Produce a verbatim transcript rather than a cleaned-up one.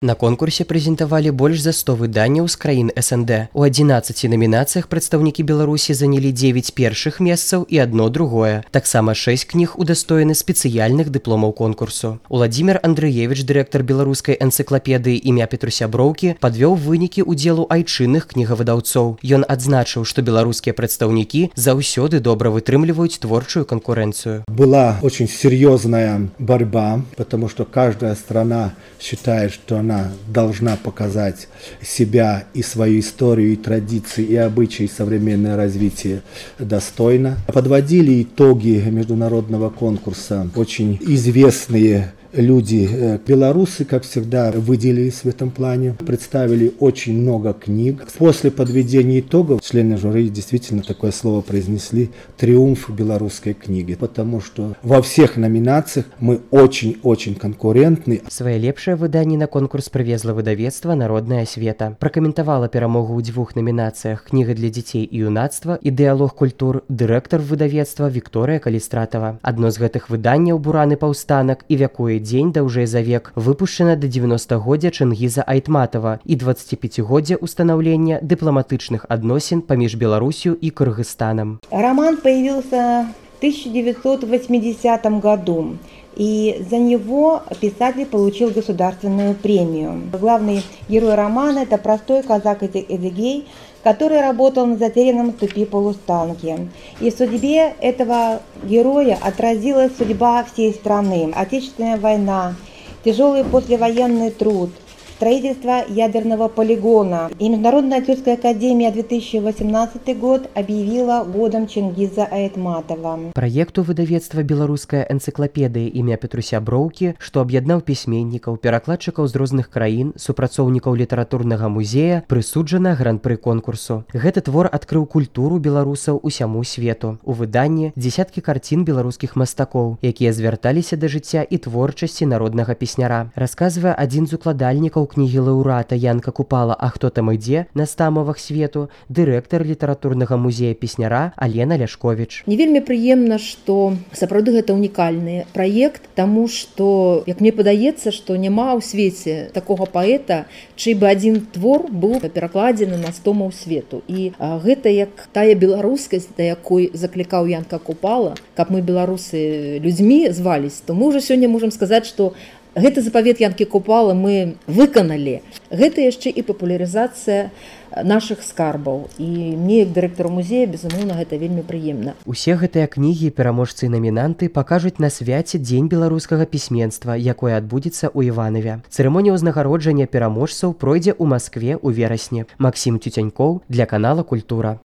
На конкурсе прэзентавалі больш за сто выданняў з краін эс эн дэ. У адзінаццаці намінацыях прадстаўнікі Беларусі занялі дзевяць першых месцаў і адно другое. Таксама шэсць кніг удастоены спецыяльных дыпломаў конкурсу. Уладзімір Андрыевіч, дырэктар беларускай энцыклапедыі імя Петруся Броўкі, падвёў вынікі ўдзелу айчынных кнігавыдаўцоў. Ён адзначыў, што беларускія прадстаўнікі заўсёды добра вытрымліваюць творчую конкуренцию. Была очень серьезная борьба, потому что каждая страна считает, что она должна показать себя и свою историю, и традиции, и обычаи, и современное развитие достойно. Подводили итоги международного конкурса очень известные люди. Белорусы, как всегда, выделились в этом плане, представили очень много книг. После подведения итогов члены жюри действительно такое слово произнесли: триумф белорусской книги, потому что во всех номинациях мы очень-очень конкурентны. Свае лепшае выданне на конкурс прывезла выдавецтва «Народная асвета». Пракаментавала перамогу ў дзвюх намінацыях «Кніга для дзяцей і юнацтва» і «Дыялог культур» дырэктар выдавецтва Вікторыя Калістратава. Адно з гэтых выданняў «Бураны паўстанак» і «Вякуе дзень даўжэй за век» выпушчана да дзевяностагоддзя Чынгіза Айтматова і дваццаціпяцігоддзя устанаўлення дыпламатычных адносін паміж Беларусью и Кыргызстаном. Роман появился в тысяча девятьсот восьмидесятом году, и за него писатель получил государственную премию. Главный герой романа – это простой казак Эдигей, который работал на затерянном ступе полустанке. И в судьбе этого героя отразилась судьба всей страны. Отечественная война, тяжелый послевоенный труд, строительство ядерного полигона. И Международная тюркская академия две тысячи восемнадцатый год объявила годом Чингиза Айтматова. Праекту выдавецтва беларуская энцыклапедыя імя Петруся Броўкі, што аб'яднаў пісьменнікаў, перакладчыкаў з розных краін, супрацоўнікаў літаратурнага музея, прысуджана гран-пры конкурсу. Гэты твор адкрыў культуру беларусаў усяму свету. У выданні дзесяткі карцін беларускіх мастакоў, якія звярталіся да жыцця і творчасці народнага песняра. Расказвае адзін з укладальнікаў кнігі лаўрэата Янка Купала «А хто там ідзе» на стамовах свету, дырэктар літаратурнага музея песняра Алена Ляшковіч. Мне вельмі прыемна, што сапраўды гэта унікальны праект, таму што, як мне падаецца, што няма ў свеце такога паэта, чый бы адзін твор быў перакладзены на стомаў свету. І а, гэта як тая беларускасць, да якой заклікаў Янка Купала, каб мы беларусы людзьмі звались, то мы ўжо сёння можам сказаць, што гэты запавет Янкі Купала мы выканалі. Гэта яшчэ і папулярызацыя нашых скарбаў. І мне, як дырэктару музея, безумоўна, гэта вельмі прыемна. Усе гэтыя кнігі, пераможцы і намінанты пакажуць на свяце Дзень беларускага пісьменства, якое адбудзецца ў Іванаве. Цырымонія ўзнагароджання пераможцаў пройдзе ў Маскве ў верасні. Максім Цюцянькоў для канала «Культура».